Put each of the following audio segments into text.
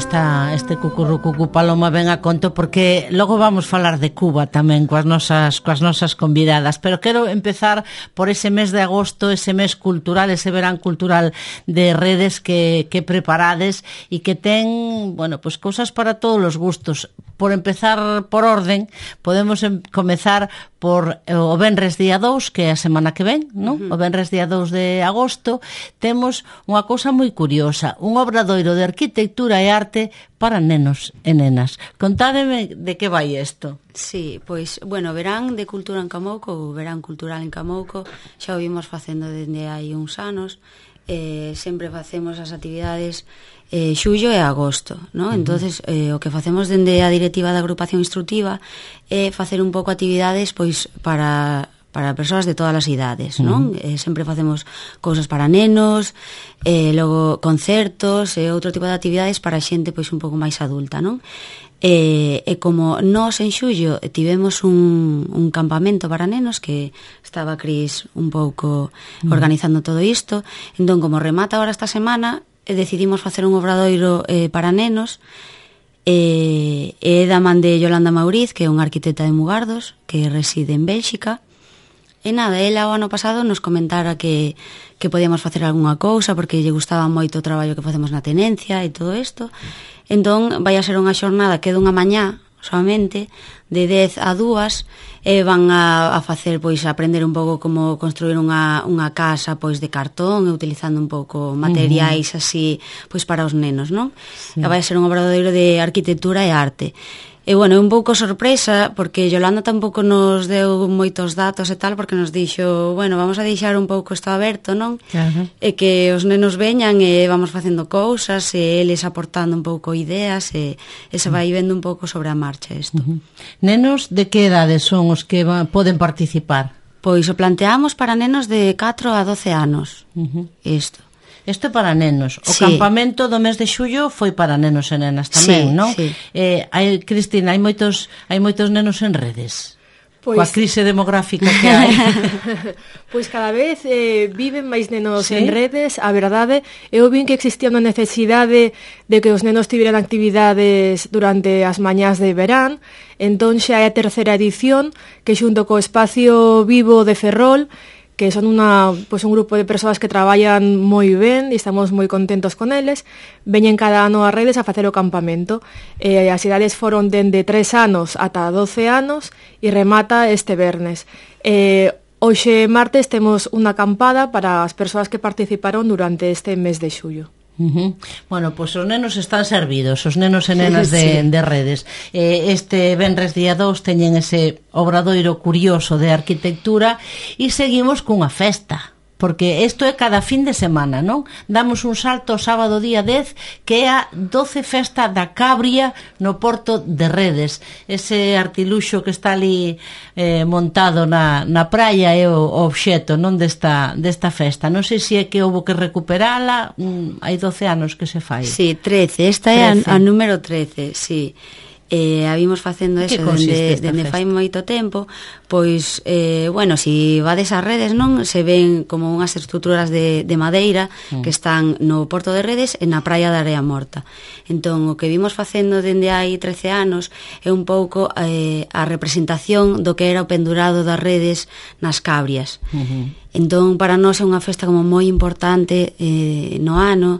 este Cucurrucucu Paloma ven a conto, porque logo vamos falar de Cuba tamén coas nosas convidadas, pero quero empezar por ese mes de agosto, ese mes cultural, ese verán cultural de redes que preparades e que ten, bueno, pues cousas para todos os gustos. Por empezar por orden, podemos comezar por o venres día 2, que é a semana que ven, non? O venres día 2 de agosto, temos unha cousa moi curiosa, un obradoiro de arquitectura e arte para nenos e nenas. Contádeme de que vai isto. Sí, pois, bueno, verán de cultura en Camouco, ou verán cultural en Camouco, xa o vimos facendo dende hai uns anos, sempre facemos as actividades xullo e agosto, ¿no? Entonces, o que facemos dende a directiva da agrupación instructiva é facer un pouco actividades pois para persoas de todas as idades, non? Sempre facemos cousas para nenos, logo concertos e outro tipo de actividades para xente pois un pouco máis adulta, non? E como nós en xullo tivemos un campamento para nenos, que estaba Cris un pouco organizando todo isto, entón como remata agora esta semana, decidimos facer un obradoiro para nenos, e da man de Yolanda Mauriz, que é unha arquitecta de Mugardos, que reside en Bélxica. E nada, ela o ano pasado nos comentara que podíamos facer algunha cousa, porque lle gustaba moito o traballo que facemos na tenencia e todo isto. Entón, vai a ser unha xornada que é dunha mañá solamente, de 10 a 2, e van a facer, pois, aprender un pouco como construir unha casa, pois, de cartón, e utilizando un pouco materiais así, pois, para os nenos, non? Sí. E vai a ser un obradoiro de arquitectura e arte. E, bueno, é un pouco sorpresa, porque Yolanda tampouco nos deu moitos datos e tal, porque nos dixo, bueno, vamos a deixar un pouco isto aberto, non? Claro. E que os nenos veñan e vamos facendo cousas, e eles aportando un pouco ideas, e se vai vendo un pouco sobre a marcha isto. Nenos de que edades son os que poden participar? Pois o planteamos para nenos de 4 a 12 anos, isto. Isto é para nenos. O sí. Campamento do mes de xullo foi para nenos e nenas tamén, sí, non? Sí. Cristina, hai moitos nenos en redes. Pois, coa crise demográfica que hai. Pois cada vez viven máis nenos en redes. A verdade, eu vin que existía unha necesidade de que os nenos tiveran actividades durante as mañás de verán. Entón xa é a terceira edición, que xunto co Espacio Vivo de Ferrol, que son un grupo de persoas que traballan moi ben e estamos moi contentos con eles, veñen cada ano a redes a facer o campamento. As idades foron dende 3 anos ata 12 anos e remata este vernes. Hoxe martes temos unha acampada para as persoas que participaron durante este mes de xullo. Bueno, pois os nenos están servidos, os nenos e nenas de redes. Este venres día 2 teñen ese obradoiro curioso de arquitectura e seguimos cunha festa, porque isto é cada fin de semana, non? Damos un salto o sábado día 10, que é a 12 festa da Cabria no Porto de Redes. Ese artiluxo que está ali montado na praia é o obxeto, non, desta festa. Non sei se é que houve que recuperala, hai 12 anos que se fai. Sí, 13, esta é a número 13, sí. A vimos facendo eso dende fai moito tempo. Pois, bueno, si vades ás redes, non, se ven como unhas estruturas de madeira que están no Porto de Redes e na praia da Area Morta. Entón, o que vimos facendo dende hai 13 anos é un pouco a representación do que era o pendurado das redes nas Cabrias. Entón, para nós é unha festa como moi importante no ano,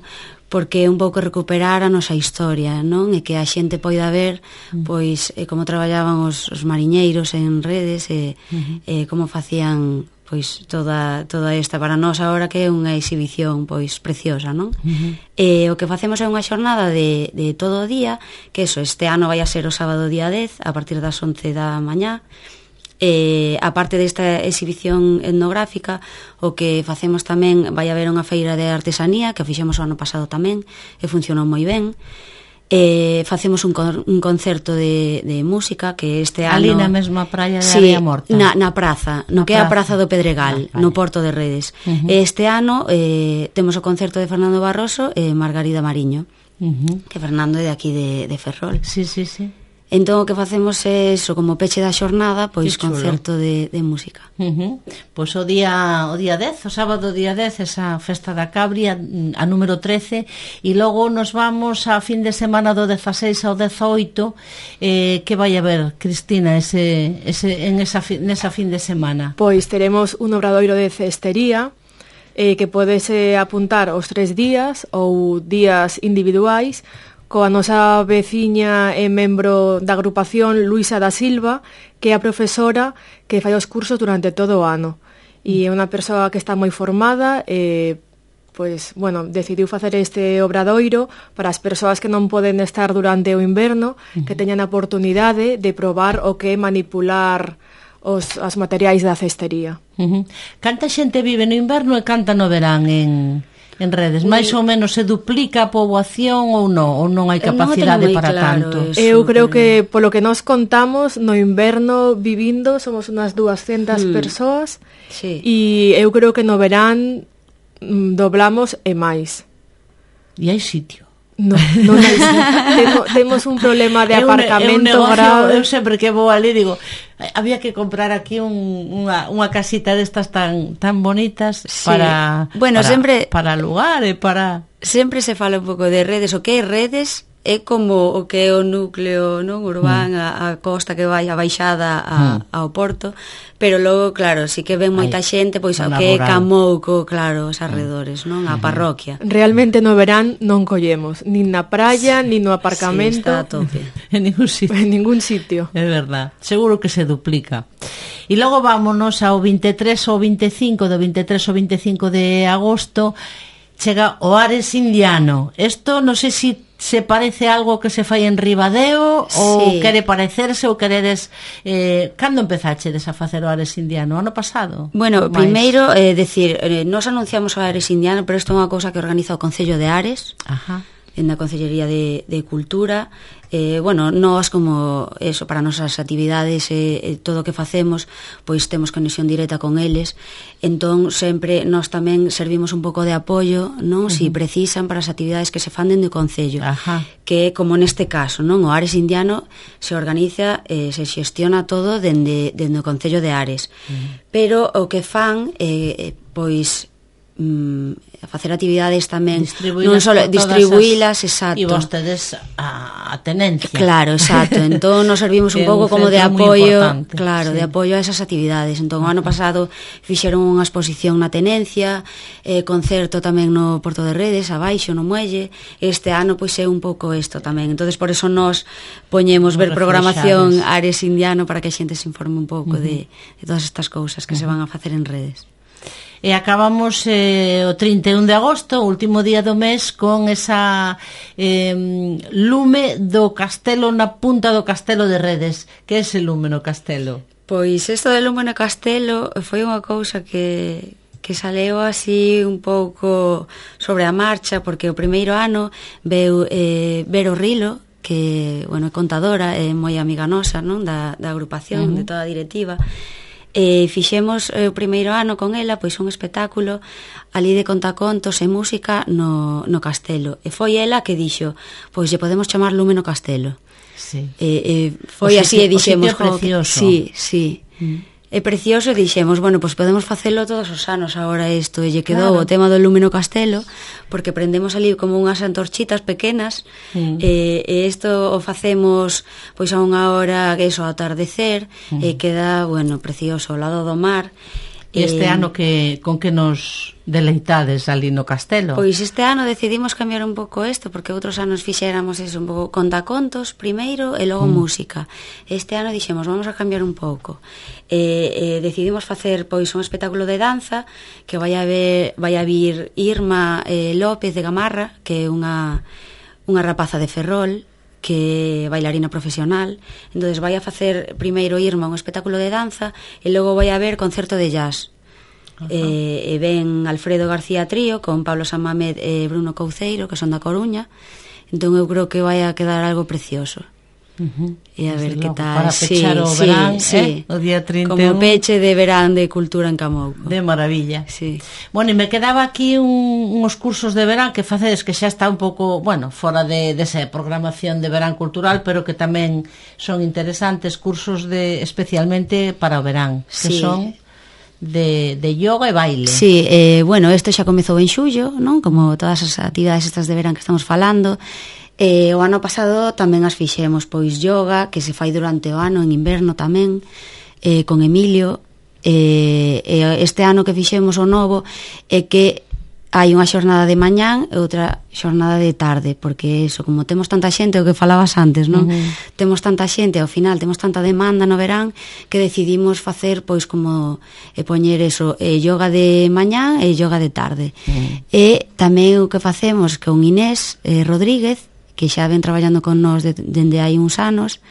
porque é un pouco recuperar a nosa historia, non? E que a xente poida ver pois como traballaban os mariñeiros en redes e como facían pois toda esta para nós agora, que é unha exhibición pois preciosa, non? E o que facemos é unha xornada de todo o día, que este ano vai a ser o sábado día 10 a partir das 11 da mañá. A parte desta exhibición etnográfica, o que facemos tamén, vai haber unha feira de artesanía que fixemos o ano pasado tamén e funcionou moi ben. Facemos un concerto de música que este ano... Ali na mesma praia de Area Morta? Na praza, no que é a Praza do Pedregal, no Porto de Redes. Este ano temos o concerto de Fernando Barroso e Margarida Mariño, que Fernando é de aquí de Ferrol. Sí. Entón o que facemos é eso, como peche da xornada, pois concerto de música. Pois o día 10, o sábado día 10, esa festa da Cabria, a número 13, e logo nos vamos a fin de semana do 16 ao 18, que vai haber, Cristina, nesa fin de semana? Pois teremos un obradoiro de cestería, que podese apuntar os 3 días ou días individuais, coa nosa veciña e membro da agrupación Luisa da Silva, que é a profesora que fai os cursos durante todo o ano. E é unha persoa que está moi formada e, pois, bueno, decidiu facer este obradoiro para as persoas que non poden estar durante o inverno, que teñan a oportunidade de probar o que é manipular os materiais da cestería. Canta xente vive no inverno e canta no verán en redes? Mais ou menos se duplica a poboación ou non hai capacidade para tanto? Eu creo que polo que nos contamos, no inverno vivindo somos unas 200 persoas, e eu creo que no verán doblamos e máis. E hai sitio? Non hai sitio. Temos un problema de aparcamento grave. Eu sempre que vou ali digo, había que comprar aquí unha casita destas tan bonitas para alugar e para... Sempre se fala un pouco de redes. O que é redes é como o que é o núcleo, non, urbán, a costa que vai a baixada ao porto, pero logo, claro, si que ven moita xente, pois o que é Camouco, claro, os arredores, non, a parroquia. Realmente no verán non collemos, nin na praia, nin no aparcamento. Sí, está a tope. En ningún sitio. É verdad, seguro que se duplica. E logo vámonos ao 23 ou 25, do 23 ao 25 de agosto, chega o Ares Indiano. Isto non sei se parece algo que se fai en Ribadeo ou quere parecerse ou queredes... cando empezachedes a facer o Ares Indiano? Ano pasado? Bueno, primeiro, decir, nos anunciamos o Ares Indiano, pero isto é unha cousa que organiza o Concello de Ares, na Concellería de Cultura. Bueno, nós como eso, para nosas actividades todo o que facemos, pois temos conexión directa con eles, entón sempre nós tamén servimos un pouco de apoio, non, si precisan para as actividades que se fan dende o Concello, que é como neste caso, non, o Ares Indiano se organiza, se xestiona todo dende o Concello de Ares, pero o que fan pois facer actividades tamén, non só distribuílas, exacto. E vostedes a tenencia. Claro, exacto. Entón nos servimos un pouco como de apoio, claro, de apoio a esas actividades. Entón o ano pasado fixeron unha exposición na tenencia, concerto tamén no Porto de Redes, abaixo no muelle. Este ano pois é un pouco isto tamén. Entonces por eso nos poñemos ver programación Ares Indiano para que a xente se informe un pouco de todas estas cousas que se van a facer en redes. E acabamos o 31 de agosto, o último día do mes, con esa lume do castelo na punta do castelo de Redes. Que é ese lume no castelo? Pois isto de lume no castelo foi unha cousa que saleu así un pouco sobre a marcha, porque o primeiro ano veu Vero Rilo, que, bueno, é contadora, é moi amiga nosa, non, da agrupación, de toda a directiva. Fixemos o primeiro ano con ela pois un espectáculo ali de contacontos e música no castelo, e foi ela que dixo, pois lle podemos chamar Lume no Castelo. Foi así e dixemos, precioso. Sí. É precioso, e dixemos, bueno, pois podemos facelo todos os anos agora isto, e lle quedou o tema do Lume no Castelo, porque prendemos ali como unhas antorchitas pequenas, e isto o facemos pois a unha hora, que iso, ao atardecer, e queda, bueno, precioso, ao lado do mar. E este ano con que nos deleitades ali no castelo? Pois este ano decidimos cambiar un pouco isto, porque outros anos fixéramos eso, un pouco contacontos primeiro e logo música. Este ano dixemos, vamos a cambiar un pouco. Decidimos facer pois un espectáculo de danza que vai a vir Irma López de Gamarra, que é unha rapaza de Ferrol, que é bailarina profesional. Entonces vai a facer primeiro Irma un espectáculo de danza e logo vai a haber concerto de jazz. E ven Alfredo García Trío con Pablo Samamed e Bruno Couceiro, que son da Coruña. Entón eu creo que vai a quedar algo precioso. E a ver que tal. Para pechar o verán, o día 31. Como peche de verán de cultura en Camouco. De maravilla. Sí. Bueno, e me quedaba aquí uns cursos de verán que facedes que xa está un pouco, bueno, fora desa programación de verán cultural, pero que tamén son interesantes, cursos especialmente para o verán, que son de yoga e baile. Sí, bueno, isto xa comezou en xullo, non? Como todas as actividades estas de verán que estamos falando. O ano pasado tamén as fixemos, pois yoga, que se fai durante o ano, en inverno tamén, con Emilio. Este ano que fixemos o novo é que hai unha xornada de mañán e outra xornada de tarde, porque eso, como temos tanta xente, o que falabas antes, non? Temos tanta xente, ao final temos tanta demanda no verán que decidimos facer, pois, como poñer eso, yoga de mañán e yoga de tarde. E tamén o que facemos con Inés Rodríguez, que xa ven traballando con nós dende hai uns anos,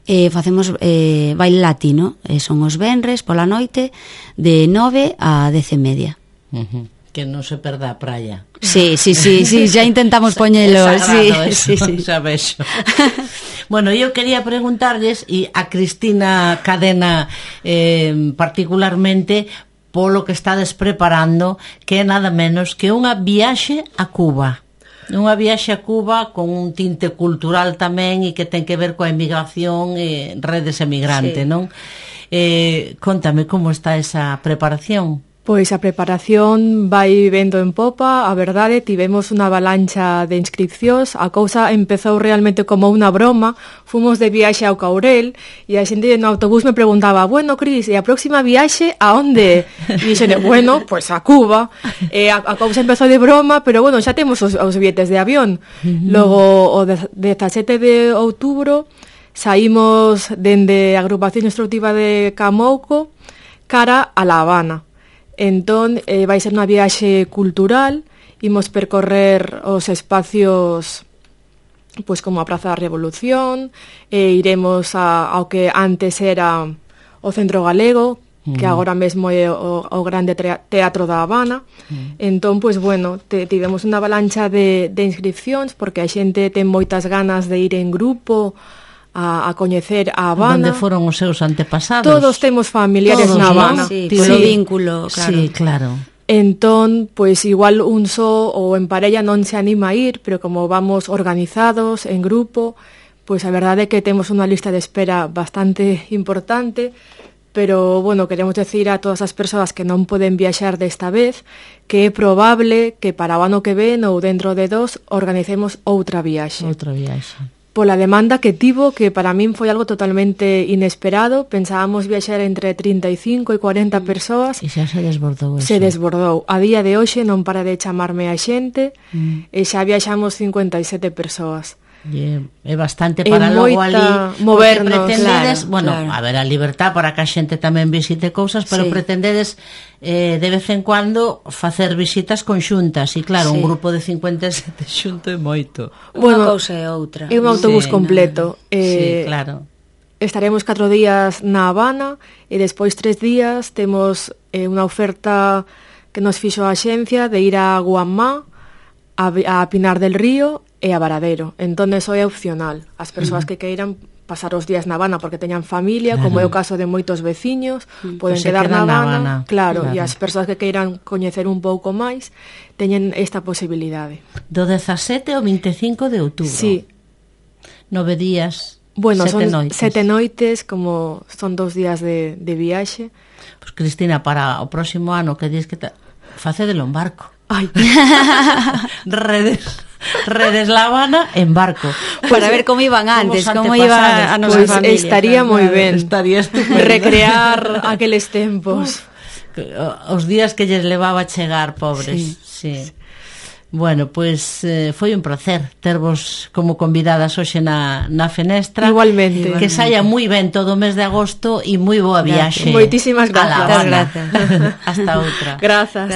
facemos baile latino, son os venres pola noite de 9 a 10:30. Que non se perda a praia. Sí, já intentamos poñelo. Sí. Xa vexo. Bueno, eu quería preguntarles, e a Cristina Cadena particularmente, polo que estades preparando, que é nada menos que unha viaxe a Cuba. Unha viaxe a Cuba con un tinte cultural tamén e que ten que ver coa emigración e redes emigrante, non? Contame como está esa preparación. Pois a preparación vai vendo en popa, a verdade, tivemos unha avalancha de inscripcións, a cousa empezou realmente como unha broma, fomos de viaxe ao Caurel, e a xente no autobús me preguntaba, bueno, Cris, e a próxima viaxe a onde? E dixene, bueno, pois a Cuba, e a cousa empezou de broma, pero bueno, xa temos os billetes de avión. Logo, o 17 de outubro, saímos dende a agrupación instructiva de Camouco cara a La Habana. Entón, vai ser unha viaxe cultural, imos percorrer os espacios pois como a Praza da Revolución, iremos ao que antes era o Centro Galego, que agora mesmo é o grande teatro da Habana. Entón, pois bueno, tivemos unha avalancha de inscripcións, porque a xente ten moitas ganas de ir en grupo a coñecer a Habana. Onde foron os seus antepasados? Todos temos familiares na Habana. Sí, polo vínculo, claro. Sí, claro. Entón, pois igual un só ou en parella non se anima a ir, pero como vamos organizados en grupo, pois a verdade é que temos unha lista de espera bastante importante, pero, bueno, queremos decir a todas as persoas que non poden viaxar desta vez que é probable que para o ano que ven ou dentro de 2 organicemos outra viaxe. Outra viaxe. Pola demanda que tivo, que para min foi algo totalmente inesperado. Pensábamos viaxar entre 35 e 40 persoas. E xa se desbordou eso. Se desbordou. A día de hoxe non para de chamarme a xente, e xa viaxamos 57 persoas. É bastante para logo ali movernos, pretendedes, claro, bueno, claro. A ver, a libertad para que a xente tamén visite cousas, pero pretendedes de vez en cuando facer visitas conxuntas, e claro, un grupo de 57 xunto é moito. Unha cousa e outra. É un autobús completo. Sí, claro. Estaremos 4 días na Habana e despois 3 días temos unha oferta que nos fixo a axencia de ir a Guamá, a Pinar del Río e a Varadero. Entón, eso é opcional. As persoas que queiran pasar os días na Habana porque teñan familia, como é o caso de moitos veciños, poden quedar na Habana. Claro, e as persoas que queiran coñecer un pouco máis teñen esta posibilidade. Do 17 ao 25 de outubro. Sí. 9 días, bueno, 7 son noites. 7 noites, como son 2 días de viaxe. Pois, Cristina, para o próximo ano que dis que facedelo en barco. Ai. Redes La Habana en barco. Para ver como iban antes, como iba a nosa familia. Estaría moi ben. Estaría estupendo. Recrear aqueles tempos. Os días que lles levaba a chegar, pobres. Sí. Bueno, pois foi un placer tervos como convidadas hoxe na Fenestra. Igualmente. Que saia moi ben todo o mes de agosto e moi boa viaxe. Moitísimas gracias. Hasta outra. Grazas.